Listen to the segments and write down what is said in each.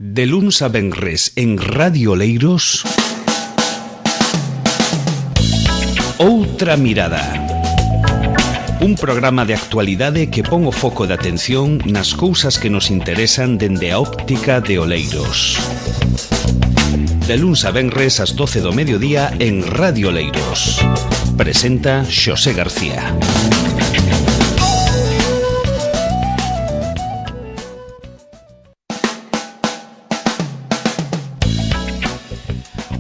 De luns a venres en Radio Oleiros, Outra Mirada. Un programa de actualidade que pon o foco de atención nas cousas que nos interesan dende a óptica de Oleiros. De luns a venres ás 12 do mediodía en Radio Oleiros. Presenta Xosé García.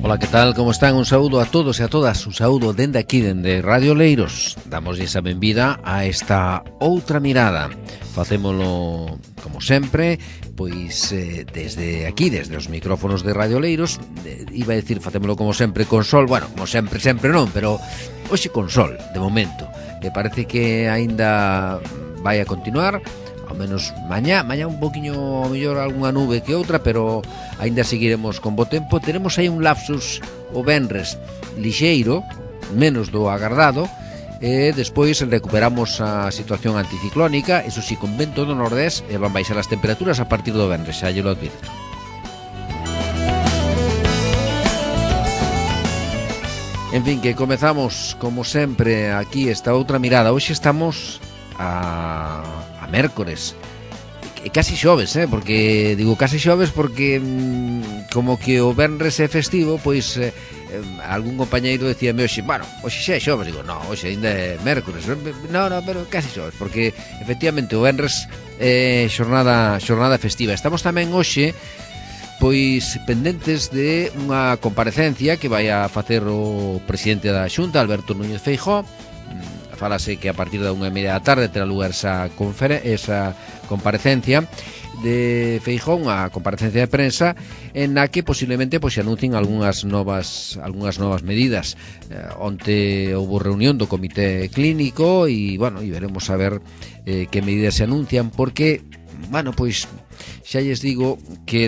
Ola, que tal? Como están? Un saúdo a todos e a todas. Un saúdo dende aquí, dende Radio Oleiros. Damoslle esa benvida a esta Outra Mirada. Facémolo, como sempre, pois desde aquí, desde os micrófonos de Radio Oleiros. Iba a decir, facémolo como sempre con sol. Bueno, como sempre non, pero hoxe con sol, de momento. Me parece que aínda vai a continuar, ao menos mañá un poquinho mellor algunha nube que outra, pero aínda seguiremos con bo tempo. Teremos aí un lapsus o venres lixeiro, menos do agardado, e despois recuperamos a situación anticiclónica, eso si, con vento do nordés, e van baixar as temperaturas a partir do venres, xa lle lo advirto. En fin, que comezamos, como sempre, aquí esta Outra Mirada. Hoxe estamos a mércores, e casi xoves, porque digo casi xoves porque como que o venres é festivo, pois algún compañeiro decíame hoxe, bueno, hoxe xa é xoves, digo, no, hoxe ainda é mércores, no, pero casi xoves, porque efectivamente o venres é xornada festiva. Estamos tamén hoxe pois pendentes de unha comparecencia que vai a facer o presidente da Xunta, Alberto Núñez Feijóo. Fálase que a partir da 1:30 da tarde terá lugar esa comparecencia de Feijóo, unha comparecencia de prensa en na que posiblemente pois se anuncien algunhas novas medidas. Onte houve reunión do comité clínico e, bueno, veremos a ver que medidas se anuncian, porque, bueno, pois xa lles digo que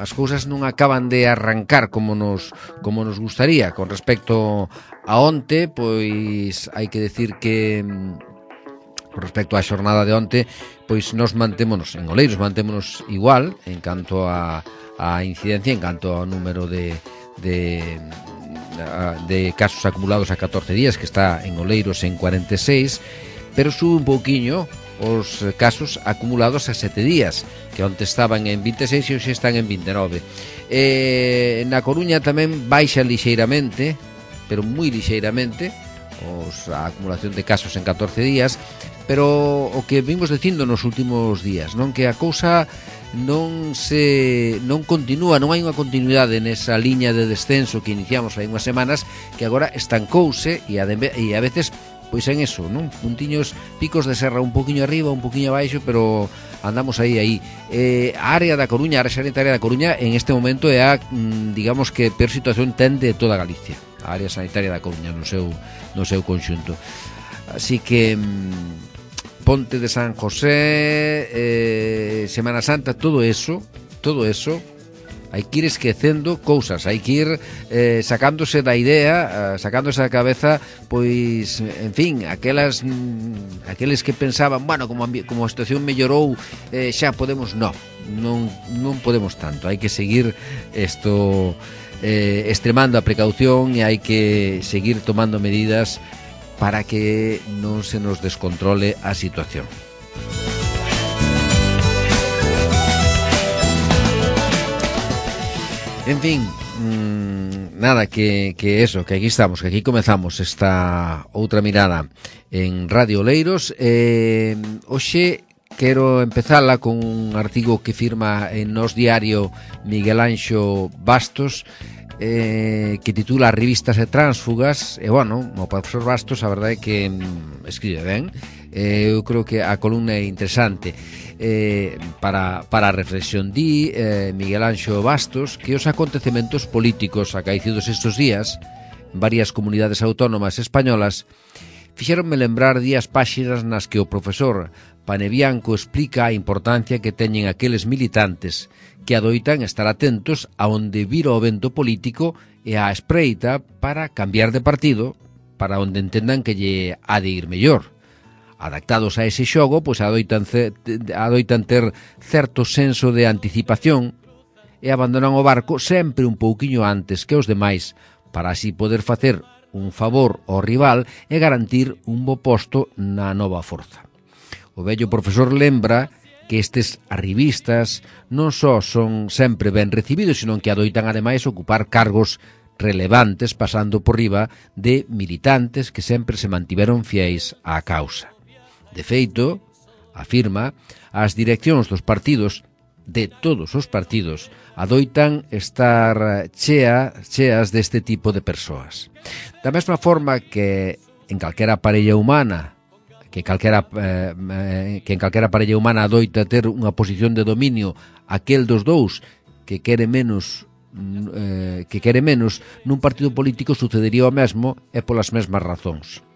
as cousas non acaban de arrancar como nos gustaría. Con respecto a onte, pois hai que decir que con respecto á xornada de onte, pois nos mantémonos en Oleiros, mantémonos igual en canto a incidencia, en canto ao número de casos acumulados a 14 días, que está en Oleiros en 46, pero sube un pouquiño os casos acumulados a 7 días, que onte estaban en 26 e hoxe están en 29. Na Coruña tamén baixa lixeiramente, pero moi lixeiramente, a acumulación de casos en 14 días, pero o que vimos dicindo nos últimos días, non, que a cousa non continúa, non hai unha continuidade nesa liña de descenso que iniciamos hai unhas semanas, que agora estancouse e a veces pois en eso, non? Puntiños, picos de serra un poquinho arriba, un poquinho abaixo, pero andamos aí. A área da Coruña, a área sanitaria da Coruña, en este momento é a, digamos que, peor situación ten de toda Galicia. A área sanitaria da Coruña no seu conxunto. Así que Ponte de San José, Semana Santa, todo eso hai que ir esquecendo cousas, hai que ir sacándose da idea, sacándose da cabeza, pois, en fin, aqueles que pensaban, bueno, como a situación mellorou, xa podemos, non podemos tanto. Hai que seguir extremando a precaución e hai que seguir tomando medidas para que non se nos descontrole a situación. En fin, nada, que eso, que aquí estamos, que aquí comezamos esta Outra Mirada en Radio Oleiros. Hoxe quero empezala con un artigo que firma en Nos Diario Miguel Anxo Bastos, que titula Revistas e Tránsfugas. E, bueno, o profesor Bastos, a verdade é que escribe ben. Eu creo que a columna é interesante para a reflexión. Di Miguel Anxo Bastos que os acontecementos políticos acaecidos estes días en varias comunidades autónomas españolas fixéronme lembrar días páxinas nas que o profesor Panebianco explica a importancia que teñen aqueles militantes que adoitan estar atentos a onde vira o vento político e a espreita para cambiar de partido para onde entendan que lle ha de ir mellor. adaptados a ese xogo, pois adoitan ter certo senso de anticipación e abandonan o barco sempre un pouquiño antes que os demais para así poder facer un favor ao rival e garantir un bo posto na nova forza. O vello profesor lembra que estes arribistas non só son sempre ben recibidos, senón que adoitan ademais ocupar cargos relevantes pasando por riba de militantes que sempre se mantiveron fiéis á causa. De feito, afirma, as direccións dos partidos, de todos os partidos, adoitan estar cheas deste tipo de persoas. Da mesma forma que en calquera parella humana, que en calquera parella humana adoita ter unha posición de dominio aquel dos dous que quere menos nun partido político sucedería o mesmo e polas mesmas razóns.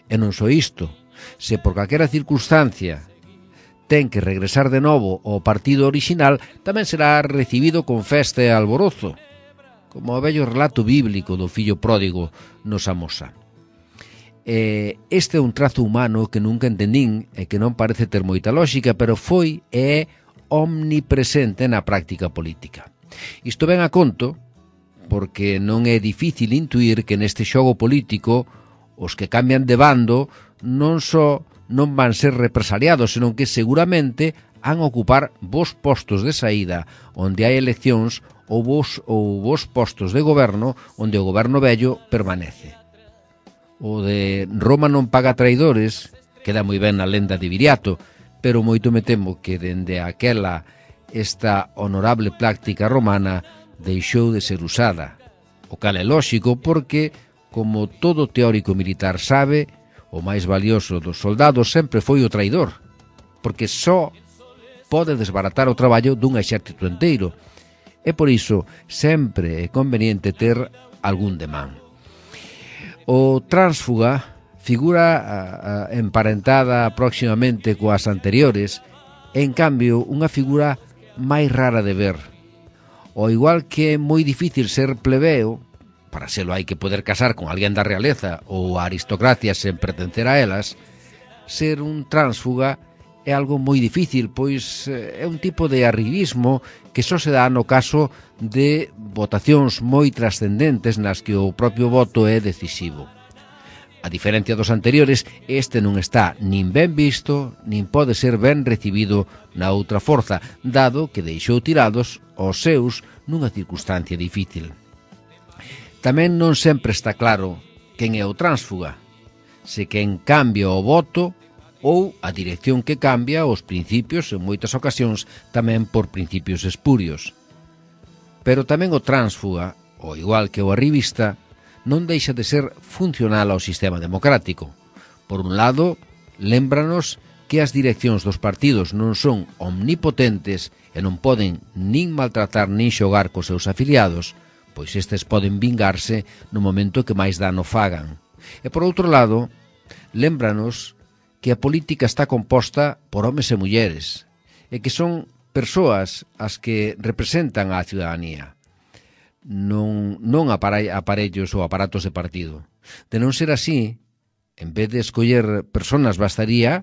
E non só isto, se por calquera circunstancia ten que regresar de novo ao partido orixinal, tamén será recibido con festa e alborozo, como o vello relato bíblico do fillo pródigo nos amosa. Este é un trazo humano que nunca entendín e que non parece ter moita lógica, pero foi e é omnipresente na práctica política. Isto ven a conto porque non é difícil intuir que neste xogo político os que cambian de bando non só non van ser represaliados, senón que seguramente han ocupar vos postos de saída onde hai eleccións ou vos postos de goberno onde o goberno vello permanece. O de Roma non paga traidores queda moi ben na lenda de Viriato, pero moito me temo que dende aquela esta honorable práctica romana deixou de ser usada, o cal é lóxico porque, como todo teórico militar sabe, o máis valioso dos soldados sempre foi o traidor, porque só pode desbaratar o traballo dun exército enteiro, e por iso sempre é conveniente ter algún demán. O tránsfuga, figura emparentada próximamente coas anteriores, é en cambio unha figura máis rara de ver. O igual que é moi difícil ser plebeo, para selo hai que poder casar con alguén da realeza ou a aristocracia sen pertencer a elas, ser un tránsfuga é algo moi difícil, pois é un tipo de arribismo que só se dá no caso de votacións moi trascendentes nas que o propio voto é decisivo. A diferencia dos anteriores, este non está nin ben visto, nin pode ser ben recibido na outra forza, dado que deixou tirados os seus nunha circunstancia difícil. Tamén non sempre está claro quen é o tránsfuga, se quen cambia o voto ou a dirección que cambia os principios, en moitas ocasións tamén por principios espurios. Pero tamén o tránsfuga, ao igual que o arribista, non deixa de ser funcional ao sistema democrático. Por un lado, lémbranos que as direccións dos partidos non son omnipotentes e non poden nin maltratar nin xogar cos seus afiliados, pois estes poden vingarse no momento que máis dano fagan. E por outro lado, lémbranos que a política está composta por homes e mulleres e que son persoas as que representan á ciudadanía, non aparellos ou aparatos de partido. De non ser así, en vez de escoller personas, bastaría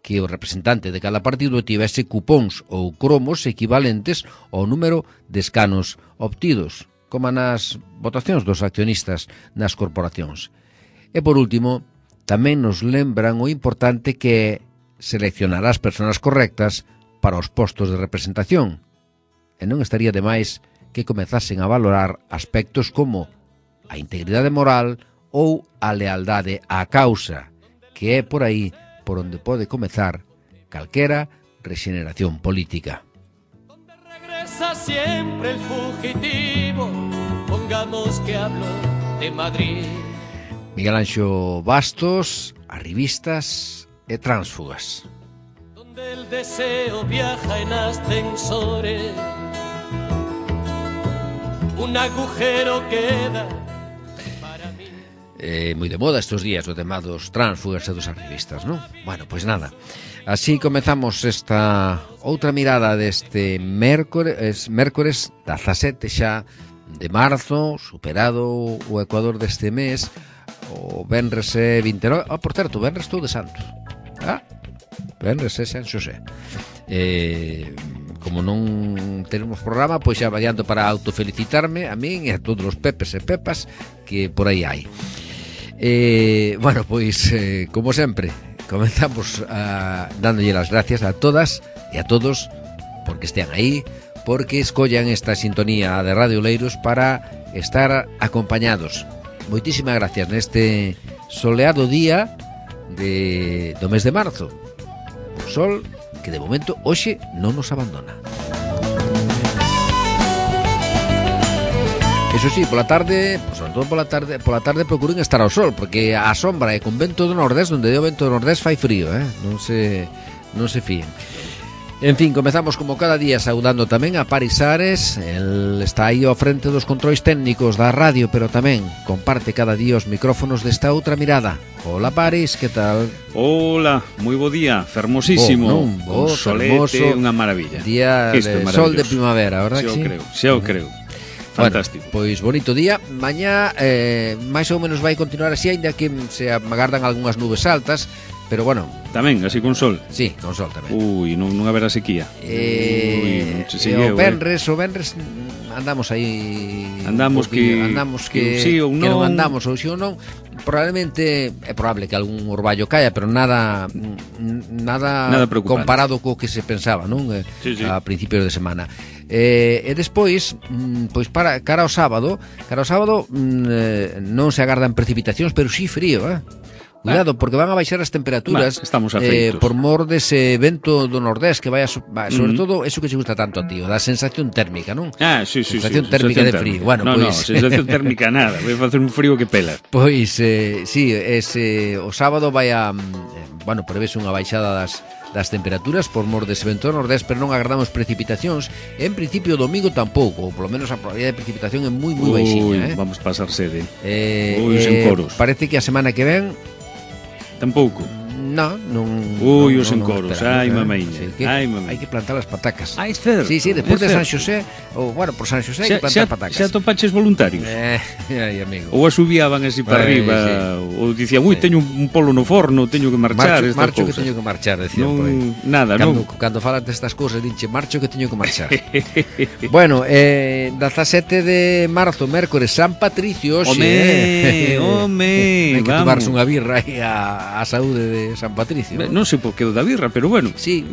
que o representante de cada partido tivese cupóns ou cromos equivalentes ao número de escanos obtidos, como nas votacións dos accionistas nas corporacións. E por último, tamén nos lembran o importante que seleccionar as persoas correctas para os postos de representación. E non estaría de máis que comezasen a valorar aspectos como a integridade moral ou a lealdade á causa, que é por aí por onde pode comezar calquera rexeneración política. Donde regresa siempre el fugitivo, pongamos que hablo de Madrid. Miguel Anxo Bastos, arribistas e tránsfugas. Donde el deseo viaja en ascensores, un agujero queda para mí. Moi de moda estes días o tema dos tránsfugas e dos arribistas, non? Bueno, pois nada. Así comezamos esta outra mirada deste mércores 17 xa de marzo, superado o ecuador deste mes. O venres é 29. Por certo, o venres estou de santo. Venres e San Xosé. Como non tenemos programa, pois xa variando para autofelicitarme a min e a todos os pepes e pepas que por aí hai. Bueno, pois como sempre comenzamos dándolle las gracias a todas e a todos porque estean aí, porque escollan esta sintonía de Radio Oleiros para estar acompañados. Moitísimas gracias neste soleado día do mes de marzo. O sol que de momento hoxe non nos abandona. Eso sí, pola tarde, sobre todo pola tarde procuren estar ao sol, porque a sombra e con vento do nordés, onde o vento do nordés fai frío, non se fíen. En fin, comezamos como cada día saudando tamén a Paris Ares. El está aí ao frente dos controis técnicos da radio, pero tamén comparte cada día os micrófonos desta outra mirada. Hola Paris, que tal? Hola, moi bo día, fermosísimo. Un solete, unha maravilla. Día de sol de primavera, verdad que sí? Xa o creo. Fantástico. Bueno, pois bonito día. Mañá máis ou menos vai continuar así, aínda que se agardan algunhas nubes altas. Pero bueno, tamén, así con sol. Sí, con sol tamén. Non haberá sequía. O Benres andamos aí. Andamos que sí ou non. Que non andamos ou si ou non. Probablemente é probable que algún orballo caia, pero nada comparado co que se pensaba, non? Sí. A principios de semana. E despois, pois para cara ao sábado non se agardan precipitacións, pero si frío, Cuidado, porque van a baixar as temperaturas por mor dese vento do nordés que vai sobre todo eso que se gusta tanto a ti, da sensación térmica, non? Sí. Sensación térmica de frío. Bueno, pois sensación térmica nada, vai facer un frío que pela. Pois sí, o sábado vai a prevese unha baixada das temperaturas por mor dese vento nordés, pero non agardamos precipitacións. En principio o domingo tampouco, ou polo menos a probabilidade de precipitación é moi baixiña, Vamos pasar sede. Sen coros. Parece que a semana que ven tampouco. Non. Os encoros, ai mamaiña. Hai que plantar as patacas. É certo. Sí, despois de San Xosé, ou por San Xosé hai que plantar patacas. Xa topaches voluntarios? Ai, amigo. Ou asubiaban así para arriba, ou dicían, teño un polo no forno, teño que marchar. Marcho que teño que marchar, decían por aí. Nada, Cando falas destas cousas, dinche, marcho que teño que marchar. Bueno, 17 de marzo, mércores, San Patricio, hoxe. Hai que tomarse unha birra aí a saúde de San Patricio. Non sei por que o da birra, pero bueno. Sí.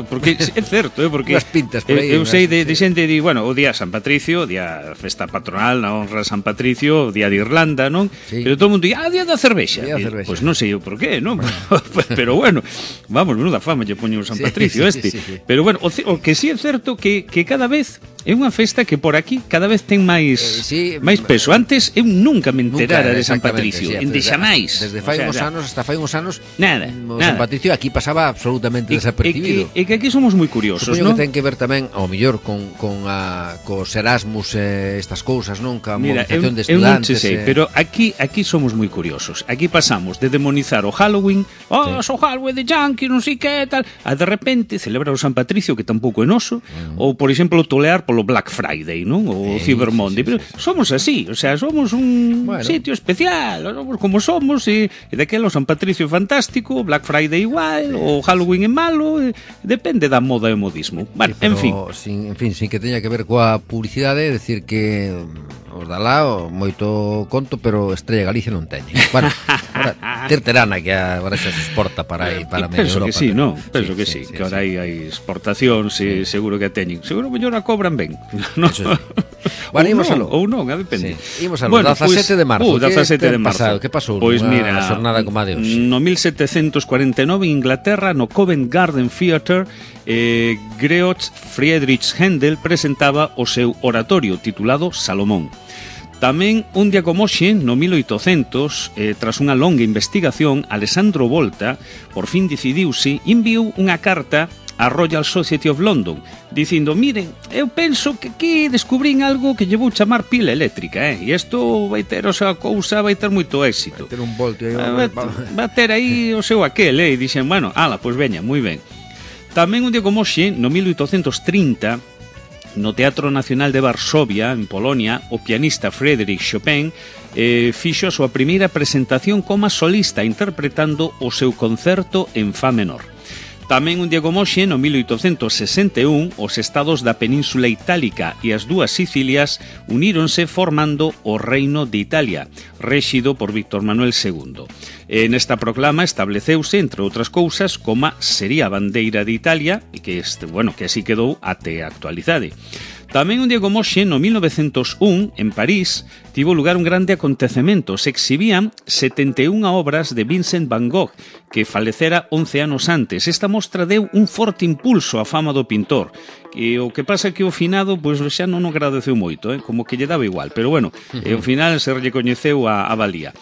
Porque é certo, porque as pintas por aí. Eu sei de xente di, o día San Patricio, o día festa patronal na honra San Patricio, o día de Irlanda, non? Sí. Pero todo o mundo di, día da cervexa. Pois non sei eu por qué, non? Pero bueno, vamos, menuda fama lle poño San Patricio este. Pero bueno, o que sí é certo que cada vez é unha festa que por aquí cada vez ten máis peso. Antes eu nunca me enterara de San Patricio, endexamais. Desde fai uns anos hasta fai uns anos nada. San Patricio aquí pasaba absolutamente desapercibido. E que aquí somos moi curiosos, non? Que ten que ver tamén, ao mellor, cos Erasmus estas cousas, non? Ca movilización de estudantes. Pero aquí somos moi curiosos. Aquí pasamos de demonizar o Halloween, o Halloween de Yankee, non sei que tal, a de repente celebrar o San Patricio, que tampouco é noso, ou, por exemplo, tolear polo Black Friday, non? O Cyber Monday. Pero somos así, o sea, somos un sitio especial, somos como somos, e daquela o San Patricio é fantástico, Black Friday igual, o Halloween é malo, depende da moda e o modismo. Bueno, en fin, sin que teña que ver coa publicidade, decir que os da lá moito conto, pero Estrella Galicia non teñe. Bueno, terterana que agora xa se exporta para aí, para medio Europa. Penso que sí, non? Penso que sí, que agora hai exportacións e seguro que teñen. Seguro mellor a cobran ben. Bueno, imos aló. Ou non, depende. Imos aló, 17 de marzo. 17 de marzo. Que pasou? Pois mira, a xornada como a de hoxe. No 1749 en Inglaterra, no Covent Garden Theatre, Georg Friedrich Händel presentaba o seu oratorio titulado Salomón. Tamén, un día como hoxe, no 1800, tras unha longa investigación, Alessandro Volta, por fin decidiuse, enviou unha carta a Royal Society of London, dicindo, miren, eu penso que aquí descubrín algo que lle vou chamar pila eléctrica, e isto vai ter o seu cousa, vai ter moito éxito. Vai ter un voltio aí. Vai ter aí o seu aquel, e dixen, bueno, pois veña, moi ben. Tamén un día como hoxe, no 1830, No Teatro Nacional de Varsovia, en Polonia, o pianista Frédéric Chopin fixo a súa primeira presentación como solista interpretando o seu concerto en fa menor. Tamén un día como hoxe, no 1861, os estados da Península Itálica e as dúas Sicilias uníronse formando o Reino de Italia, rexido por Víctor Manuel II. Nesta proclama estableceuse, entre outras cousas, como sería a bandeira de Italia, e que así quedou até a actualidade. Tamén un día como hoxe, no 1901, en París, tivo lugar un grande acontecemento. Se exhibían 71 obras de Vincent Van Gogh, que falecera 11 anos antes. Esta mostra deu un forte impulso á fama do pintor. E o que pasa que o finado, pois xa non o agradeceu moito, como que lle daba igual. Pero bueno, ao final se recoñeceu a valía.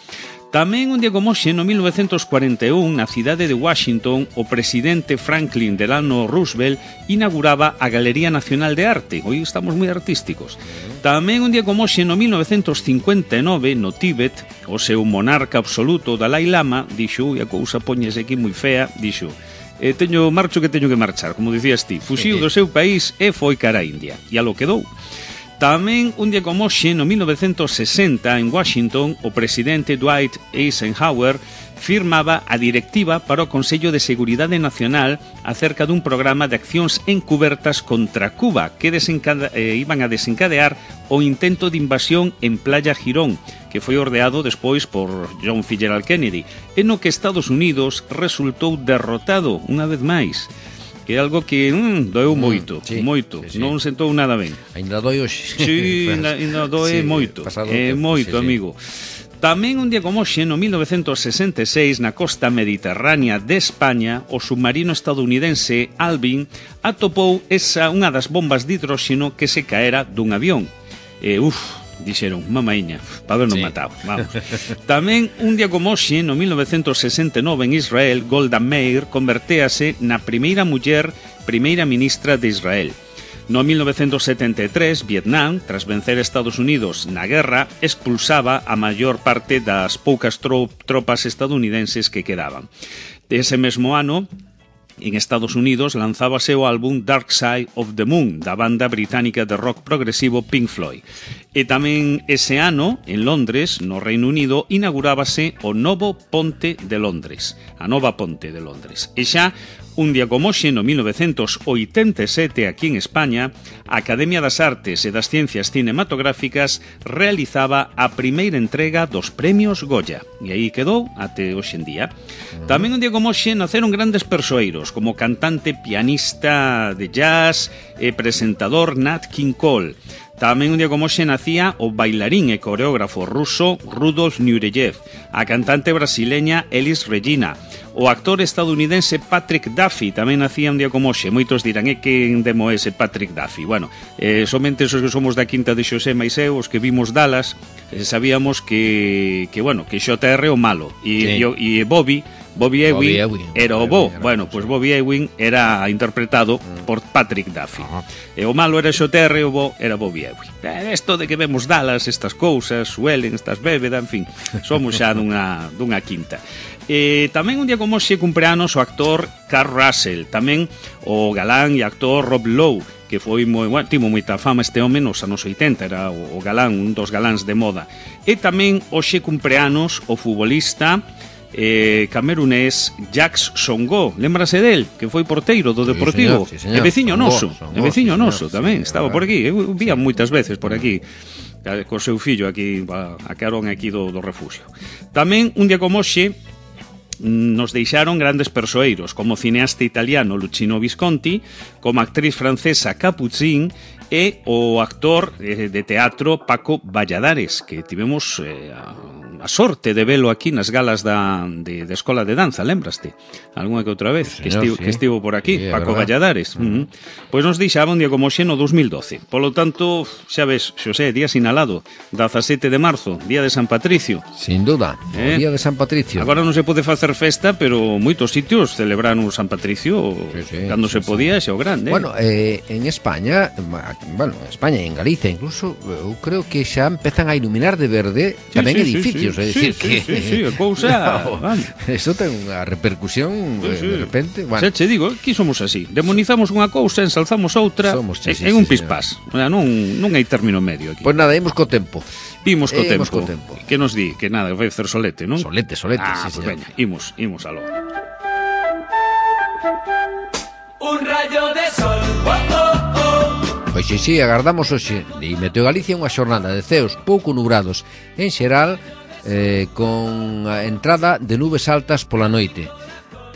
Tamén un día como hoxe, no 1941, na cidade de Washington, o presidente Franklin Delano Roosevelt inauguraba a Galería Nacional de Arte. Hoy estamos moi artísticos. Tamén un día como hoxe, no 1959, no Tíbet, o seu monarca absoluto, Dalai Lama, dixo, e a cousa póñese aquí moi fea, dixo, marcho que teño que marchar, como dicías ti, fuxiu do seu país e foi cara a India. E a lo quedou. Tamén un día como hoxe, no 1960, en Washington, o presidente Dwight Eisenhower firmaba a directiva para o Consello de Seguridade Nacional acerca dun programa de accións encubertas contra Cuba que iban a desencadear o intento de invasión en Playa Girón, que foi ordeado despois por John F. Kennedy, e no que Estados Unidos resultou derrotado unha vez máis. Que é algo que doeu moito, moito, sí. Non sentou nada ben. Ainda doi hoxe. Sí, ainda doe moito, moito, amigo. Tamén un día como hoxe, no 1966, na costa mediterránea de España, o submarino estadounidense Alvin atopou unha das bombas de hidróxeno que se caera dun avión. Dixeron, mamaiña, para habernos matado, vamos. Tamén un día como hoxe, no 1969, en Israel, Golda Meir convertéase na primeira muller primeira ministra de Israel. No 1973, Vietnam, tras vencer Estados Unidos na guerra, expulsaba a maior parte das poucas tropas estadounidenses que quedaban. Ese mesmo ano, en Estados Unidos, lanzábase o álbum Dark Side of the Moon, da banda británica de rock progresivo Pink Floyd. E tamén ese ano, en Londres, no Reino Unido, inaugurábase o novo Ponte de Londres, a nova Ponte de Londres. E xa, un día como hoxe, no 1987, aquí en España, a Academia das Artes e das Ciencias Cinematográficas realizaba a primeira entrega dos premios Goya. E aí quedou até hoxe en día. Tamén un día como hoxe naceron grandes persoeiros, como cantante, pianista de jazz e presentador Nat King Cole. Tamén un día como hoxe nacía o bailarín e coreógrafo ruso Rudolf Nureyev, a cantante brasileña Elis Regina, o actor estadounidense Patrick Duffy tamén nacía un día como hoxe. Moitos dirán, que demo ese Patrick Duffy? Bueno, somente esos que somos da quinta de Xosé mais eu, os que vimos Dallas, sabíamos que XR é o malo, e Bobby Ewing era o bo. Bueno, pois Bobby Ewing era interpretado por Patrick Duffy. E o malo era XR e o bo era Bobby Ewing. Esto de que vemos Dallas, estas cousas, suelen, estas bébeda, en fin, somos xa dunha quinta. Tamén un día como hoxe cumpleanos o actor Carl Russell, tamén o galán e actor Rob Lowe, que foi tivo moita fama este home nos anos 80, era o galán, un dos galáns de moda. E tamén hoxe cumpleanos o futbolista camerunés Jacques Songo, lembrase del, que foi porteiro do Deportivo, sí, señor. E veciño noso tamén, estaba por aquí, eu vía moitas veces por aquí co seu fillo aquí, a carón aquí do refugio. Tamén un día como hoxe nos deixaron grandes persoeiros, como o cineasta italiano Luchino Visconti, como a actriz francesa Capucine e o actor de teatro Paco Valladares, que tivemos a sorte de velo aquí nas galas de Escola de Danza, lembraste? Algúna que outra vez, sí, que estivo por aquí, sí, Paco Valladares. Pois nos deixaba un día como hoxe no 2012. Polo tanto, xa ves, Xosé, día sinalado, 17 de marzo, día de San Patricio. Sin duda, o día de San Patricio. Agora non se pode facer festa, pero moitos sitios celebraron o San Patricio cando se podía, xa o grande. Bueno, en España, España e en Galicia incluso, eu creo que xa empezan a iluminar de verde tamén edificios. concellos, é dicir que... Sí, a cousa... Eso ten unha repercusión de repente. Bueno. Xa che digo, aquí somos así. Demonizamos unha cousa, ensalzamos outra en un pispás. Non hai término medio aquí. Pois nada, imos co tempo. Imos co tempo. Que nos di? Que nada, vai facer solete, non? Solete, pues veña, imos aló. Un rayo de sol, Pois sí, agardamos hoxe de Meteo Galicia unha xornada de ceos pouco nubrados en xeral, con a entrada de nubes altas pola noite.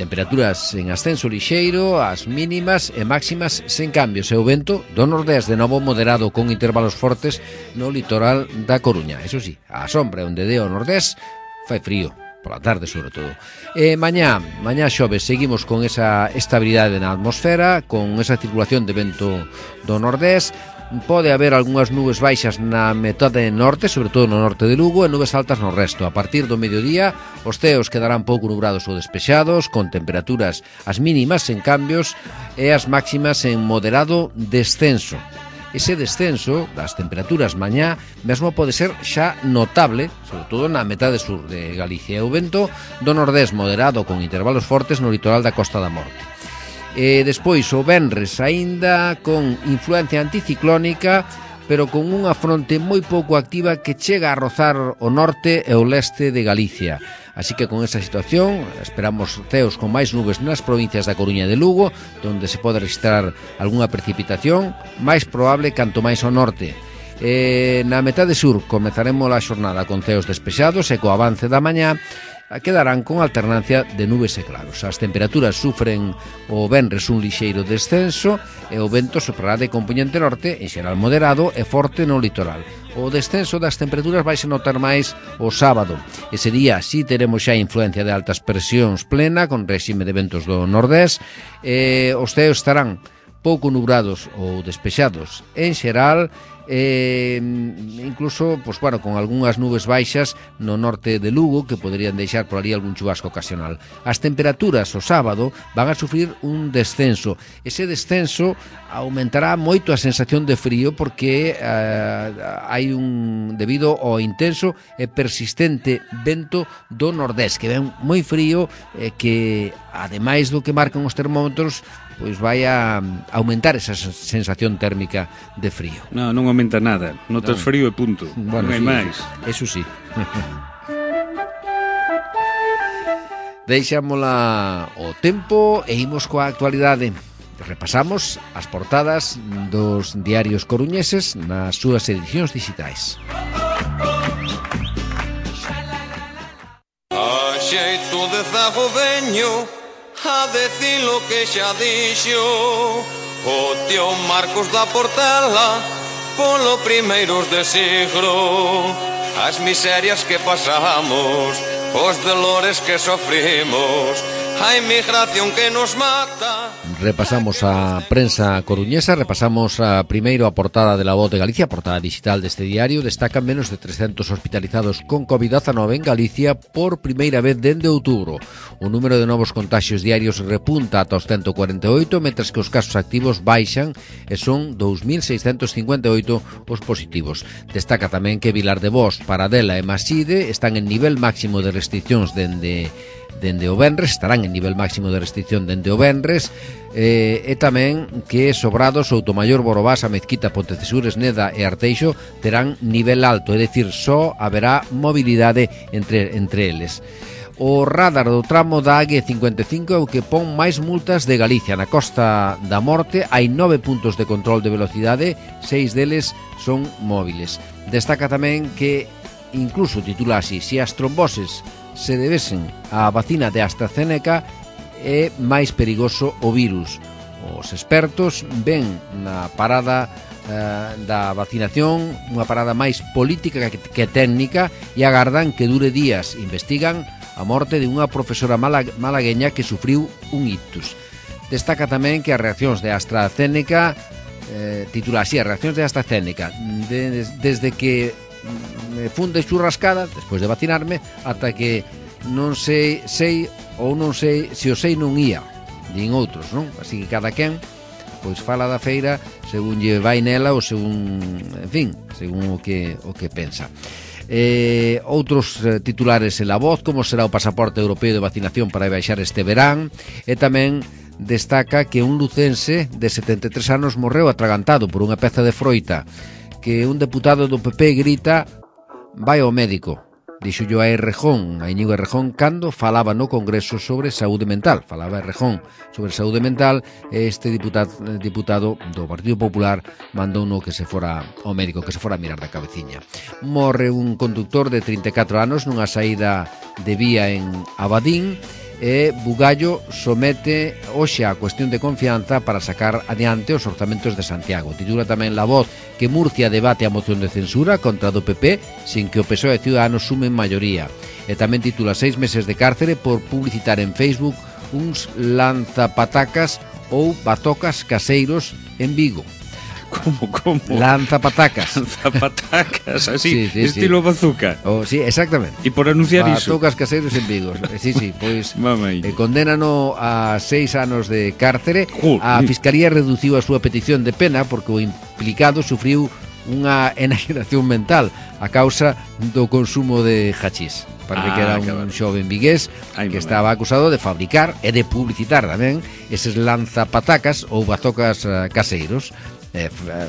Temperaturas en ascenso lixeiro, as mínimas e máximas sen cambios, e o vento do nordés de novo moderado con intervalos fortes no litoral da Coruña. Eso sí, a sombra onde dé o nordés fai frío, pola tarde sobre todo. Mañá xoves seguimos con esa estabilidade na atmosfera, con esa circulación de vento do nordés. Pode haber algunhas nubes baixas na metade norte, sobre todo no norte de Lugo, e nubes altas no resto. A partir do mediodía, os ceos quedarán pouco nubrados ou despexados, con temperaturas as mínimas en cambios e as máximas en moderado descenso. Ese descenso das temperaturas mañá mesmo pode ser xa notable, sobre todo na metade sur de Galicia. O vento do nordés moderado con intervalos fortes no litoral da Costa da Morte. Despois o venres aínda con influencia anticiclónica, pero con unha fronte moi pouco activa que chega a rozar o norte e o leste de Galicia. Así que con esa situación esperamos ceos con máis nubes nas provincias da Coruña e de Lugo, donde se pode registrar algunha precipitación, máis probable canto máis ao norte. Na metade sur comezaremos a xornada con ceos despexados e co avance da mañá quedarán con alternancia de nubes e claros. As temperaturas sufren o venres un lixeiro descenso e o vento soprará de compoñente norte, en xeral moderado e forte no litoral. O descenso das temperaturas vai se notar máis o sábado. Ese día sí teremos xa influencia de altas presións plena, con réxime de ventos do nordés. Os ceos estarán pouco nubrados ou despexados en xeral, incluso con algunhas nubes baixas no norte de Lugo que poderían deixar por ali algún chubasco ocasional. As temperaturas o sábado van a sufrir un descenso. Ese descenso aumentará moito a sensación de frío porque hai debido ao intenso e persistente vento do nordés que ven moi frío, que ademais do que marcan os termómetros, pois vai a aumentar esa sensación térmica de frío. Non aumenta nada, notas frío e punto. Bueno, non hai máis. Eso sí. Deixámola o tempo e imos coa actualidade. Repasamos as portadas dos diarios coruñeses nas súas edicións digitais. A xeito de zago veño a decir lo que xa dixo o tío Marcos da Portela polo primeiros de siglo. As miserias que pasamos, os dolores que sofrimos, a inmigración que nos mata. Repasamos a prensa coruñesa, repasamos primeiro a portada de La Voz de Galicia, a portada digital deste diario. Destacan menos de 300 hospitalizados con COVID-19 en Galicia por primeira vez dende outubro. O número de novos contaxios diarios repunta ata os 148, mentres que os casos activos baixan e son 2.658 os positivos. Destaca tamén que Vilar de Bos, Paradela e Maside están en nivel máximo de restriccións dende o venres, estarán en nivel máximo de restricción dende o venres, e tamén que Sobrado, Soutomaior, Borobás, a Mezquita, Pontecesures, Neda e Arteixo terán nivel alto, é dicir, só haberá mobilidade entre eles. O radar do tramo da AG55 é o que pon máis multas de Galicia. Na Costa da Morte hai 9 puntos de control de velocidade, 6 deles son móviles. Destaca tamén que, incluso titula así, se as tromboses se debesen á vacina de AstraZeneca é máis perigoso o virus. Os expertos ven na parada da vacinación unha parada máis política que técnica e agardan que dure días. Investigan a morte de unha profesora malagueña que sufriu un ictus. Destaca tamén que as reaccións de AstraZeneca, titula así, as reaccións de AstraZeneca, desde que me funde churrascada despois de vacinarme ata que non sei ou non sei se o sei non ía, din outros, non? Así que cada quen pois fala da feira según lle vai nela ou según, en fin, según o que pensa. Outros titulares en La Voz, como será o pasaporte europeo de vacinación para viaxar este verán, e tamén destaca que un lucense de 73 anos morreu atragantado por unha peza de froita, que un deputado do PP grita: vai ao médico. Dixollo a Errejón, a Íñigo Errejón, cando falaba no Congreso sobre saúde mental. Falaba Errejón sobre saúde mental, e este diputado do Partido Popular mandou no que se fora ao médico, que se fora a mirar da cabeciña. Morre un conductor de 34 anos nunha saída de vía en Abadín, e Bugallo somete hoxe a cuestión de confianza para sacar adiante os orzamentos de Santiago. Titula tamén La Voz que Murcia debate a moción de censura contra do PP sin que o PSOE e Ciudadanos sumen maioría. E tamén titula 6 meses de cárcere por publicitar en Facebook uns lanzapatacas ou batocas caseiros en Vigo. Como? Lanzapatacas. Lanzapatacas, así, sí, estilo bazooka. Sí, exactamente. E por anunciar iso. Batocas caseiros en Vigo. Sí, pois condenano a 6 anos de cárcere. A Fiscalía reduciu a súa petición de pena porque o implicado sufriu unha enaxenación mental a causa do consumo de hachís. Parece que era un xoven vigués que estaba acusado de fabricar e de publicitar tamén eses lanzapatacas ou bazocas caseiros.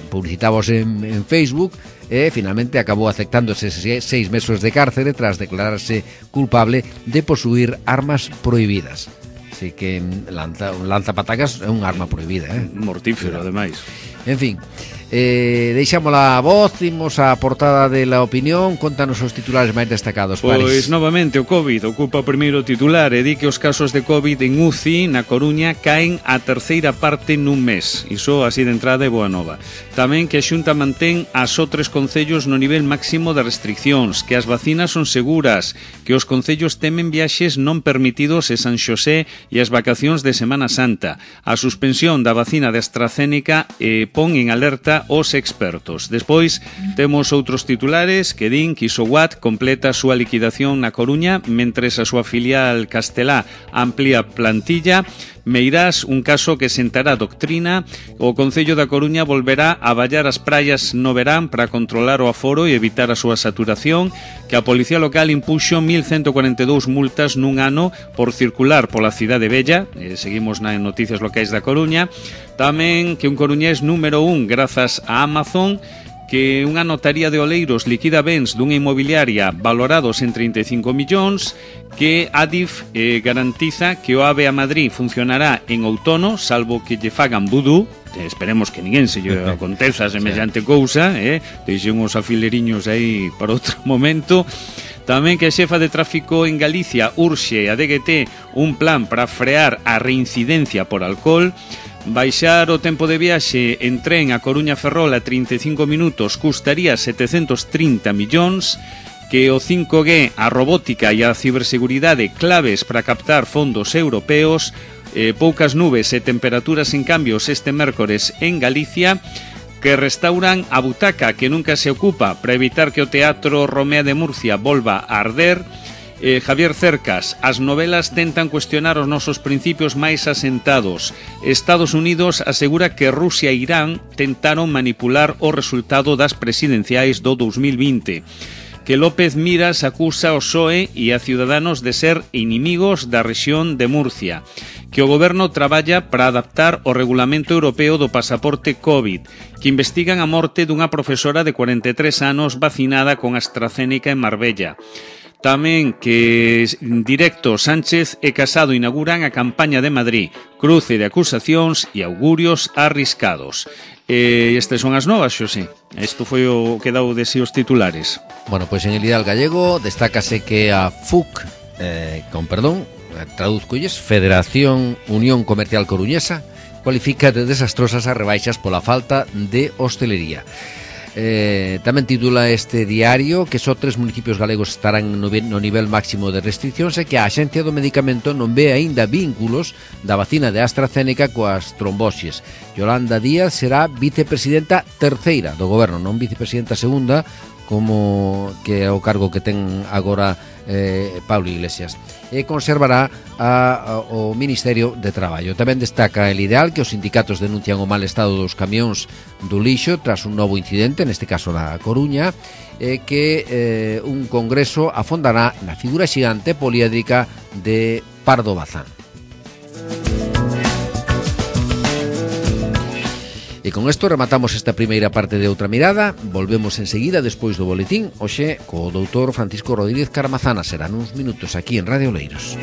Publicitábamos en Facebook e finalmente acabou aceptando eses 6 meses de cárcere tras declararse culpable de posuir armas prohibidas. Así que lanzapatacas é un arma prohibida, mortífero, ademais. En fin, deixamos a Voz, imos a portada de La Opinión. Contanos os titulares máis destacados, Paris. Pois novamente o COVID ocupa o primeiro titular e di que os casos de COVID en UCI na Coruña caen a terceira parte nun mes. Iso así de entrada é boa nova. Tamén que a Xunta mantén a só 3 concellos no nivel máximo de restriccións, que as vacinas son seguras, que os concellos temen viaxes non permitidos en San Xosé e as vacacións de Semana Santa. A suspensión da vacina de AstraZeneca pon en alerta os expertos. Despois temos outros titulares que din que Isowat completa a súa liquidación na Coruña mentres a súa filial castelá amplía plantilla. Meirás, un caso que sentará doctrina. O Concello da Coruña volverá a vallar as praias no verán para controlar o aforo e evitar a súa saturación. Que a Policía Local impuxo 1.142 multas nun ano por circular pola cidade bella. Seguimos nas noticias locais da Coruña. Tamén que un coruñés número 1 grazas a Amazon. Que unha notaría de Oleiros liquida bens dunha inmobiliaria valorados en 35 millóns, que Adif garantiza que o AVE a Madrid funcionará en outono, salvo que lle fagan vudú. Esperemos que ninguén se lle aconteza semellante cousa, deixen os afileriños aí para outro momento. Tamén que a xefa de tráfico en Galicia urxe a DGT un plan para frear a reincidencia por alcohol. Baixar o tempo de viaxe en tren a Coruña Ferrol a 35 minutos custaría 730 millóns, que o 5G, a robótica e a ciberseguridade claves para captar fondos europeos, poucas nubes e temperaturas en cambios este mércores en Galicia, que restauran a butaca que nunca se ocupa para evitar que o Teatro Romea de Murcia volva a arder. Javier Cercas, as novelas tentan cuestionar os nosos principios máis asentados. Estados Unidos asegura que Rusia e Irán tentaron manipular o resultado das presidenciais do 2020. Que López Miras acusa ao PSOE e a Ciudadanos de ser inimigos da rexión de Murcia. Que o goberno traballa para adaptar o regulamento europeo do pasaporte COVID. Que investigan a morte dunha profesora de 43 anos vacinada con AstraZeneca en Marbella. Tamén que Directo, Sánchez e Casado inauguran a campaña de Madrid, cruce de acusacións e augurios arriscados. Estas son as novas, Xosé. Isto foi o que dau de si os titulares. Bueno, pois en El Ideal Gallego destácase que a FUC, traduzcolles, Federación Unión Comercial Coruñesa, cualifica de desastrosas as rebaixas pola falta de hostelería. Tamén titula este diario que só 3 municipios galegos estarán no nivel máximo de restriccións e que a Axencia do Medicamento non ve aínda vínculos da vacina de AstraZeneca coas tromboses. Yolanda Díaz será vicepresidenta terceira do goberno, non vicepresidenta segunda, como que é o cargo que ten agora Pablo Iglesias, e conservará o Ministerio de Traballo. Tamén destaca El Ideal que os sindicatos denuncian o mal estado dos camións do lixo tras un novo incidente, neste caso na Coruña, que un congreso afondará na figura xigante poliédrica de Pardo Bazán. E con isto rematamos esta primeira parte de Outra Mirada. Volvemos enseguida despois do boletín, hoxe co doutor Francisco Rodríguez Caramazana. Serán uns minutos aquí en Radio Oleiros.